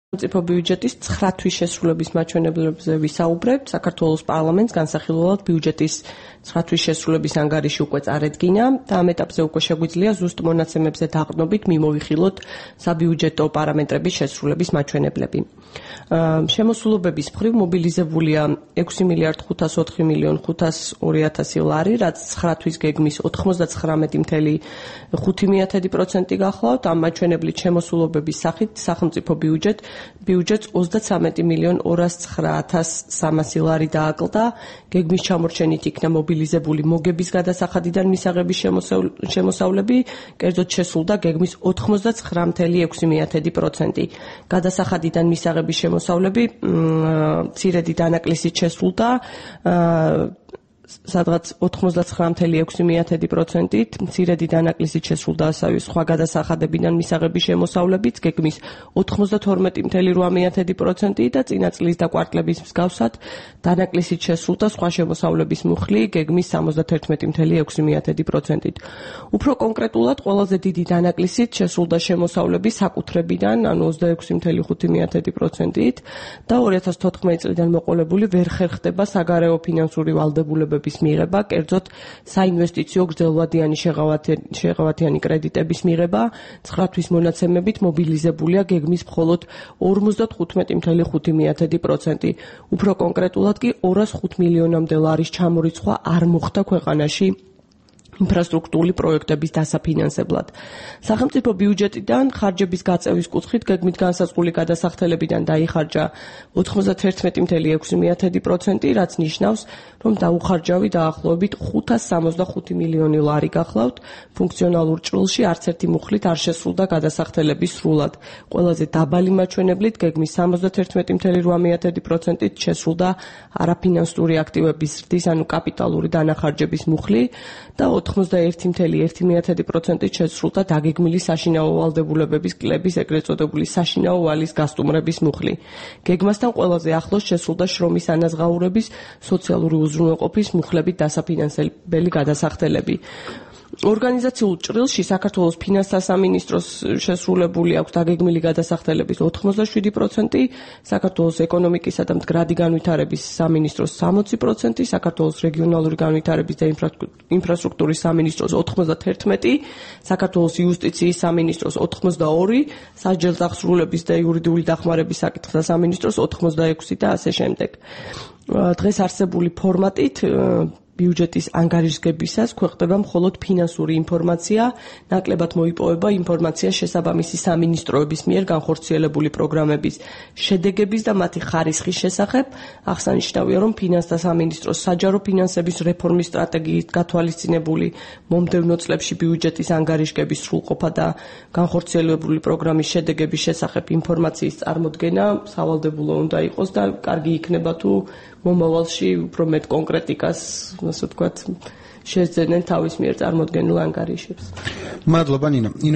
სახელმწიფო ბიუჯეტის 9 თვის შესრულების მაჩვენებლებზე ვისაუბრებთ. საქართველოს პარლამენტს განსახილველად ბიუჯეტის 9 თვის შესრულების ანგარიში უკვე წარედგინა და ამ ეტაპზე უკვე შეგვიძლია ზუსტ მონაცემებზე დაყრდნობით მიმოვიხილოთ საბიუჯეტო პარამეტრების შესრულების მაჩვენებლები. შემოსულობების მხრივ მობილიზებულია 6.504.502.000 ლარი, რაც 9 თვის გეგმის 99.5% გახლავთ. ამ მაჩვენებლით შემოსულობების სახით სახელმწიფო ბიუჯეტს 33.209.300 ლარი დააკლდა. გეგმის ჩამორჩენით იქნა მობილიზებული მოგების გადასახადიდან მისაღების შემოსავლები, კერძოდ შესულდა გეგმის 99.6%. გადასახადიდან მისაღების შემოსავლები მცირედი დანაკლისით შესულდა სადღაც 99.6%-ით, მცირედი დანაკლისით შესრულდა ასევე სხვა გადასახადებიდან მისაღების შემოსავლებიც, გეგმის 92.8%-ით და წინა წლის და კვარტლების მსგავსად დანაკლისით შესრულდა სხვა შემოსავლების მუხლი, გეგმის 71.6%-ით. უფრო კონკრეტულად, ყველაზე დიდი დანაკლისით შესრულდა შემოსავლები საკუთრებიდან, ანუ 26.5%-ით და 2014 წლიდან მოყოლებული ვერ ხერხდება საგარეო ფინანსური ვალდებულებები მიღება, კერძოდ საინვესტიციო გრძელვადიანი შეღავათიანი კრედიტების მიღება. 9 თვის მონაცემებით მობილიზებულია გეგმის მხოლოდ 55.5%. უფრო კონკრეტულად კი 205 მილიონამდე ლარის ჩამორიცხვა არ მოხდა ქვეყანაში ინფრასტრუქტურული პროექტების დასაფინანსებლად. სახელმწიფო ბიუჯეტიდან ხარჯების გაწევის კუთხით გეგმით განსაზღვრული გადასახდელებიდან დაიხარჯა 91.6%, რაც ნიშნავს, რომ დაუხარჯავი დაახლოებით 565 მილიონი ლარი გახლავთ. ფუნქციონალურ ჭრილში არც ერთი მუხლით არ შესრულდა გადასახდელების სრულად. ყველაზე დაბალი მაჩვენებლით გეგმის 71.8%-ით შესრულდა არაფინანსური აქტივების ზრდის, ანუ კაპიტალური დანახარჯების მუხლი და 91.1%-ით შესრულდა დაგეგმილი საშინაო ვალდებულებების კლების, ეგრეთ წოდებული საშინაო ვალის გასტუმრების მუხლი. გეგმასთან ყველაზე ახლოს შესრულდა შრომის ანაზღაურების, სოციალური უზრუნველყოფის მუხლებით დასაფინანსებელი გადასახდელები. ორგანიზაციულ ჭრილში საქართველოს ფინანსთა სამინისტროს შესრულებული აქვს დაგეგმილი გადასახდელების 87%, საქართველოს ეკონომიკისა და მდგრადი განვითარების სამინისტროს 60%, საქართველოს რეგიონალური განვითარების და ინფრასტრუქტურის სამინისტროს 91%, საქართველოს იუსტიციის სამინისტროს 82, სასჯელ დახსრულების და იურიდიული დახმარების საკითხთა სამინისტროს 86 და ასე შემდეგ. დღეს არსებული ფორმატით ბიუჯეტის ანგარიშგებისას ქვეყნდება მხოლოდ ფინანსური ინფორმაცია, ნაკლებად მოიპოვება ინფორმაცია შესაბამისი სამინისტროების მიერ განხორციელებული პროგრამების შედეგების და მათი ხარისხის შესახებ. აღსანიშნავია, რომ ფინანსთა სამინისტროს საჯარო ფინანსების რეფორმის სტრატეგიით გათვალისწინებული მომდევნო წლებში ბიუჯეტის ანგარიშგების სრულყოფა და განხორციელებული პროგრამის შედეგების შესახებ ინფორმაციის წარმოდგენა სავალდებულო უნდა იყოს და კარგი იქნება თუ მომავალში უფრო მეტ კონკრეტიკას, ასე ვთქვათ, შეძენენ თავის მიერ წარმოდგენილ ანგარიშებს. მადლობა ნინო.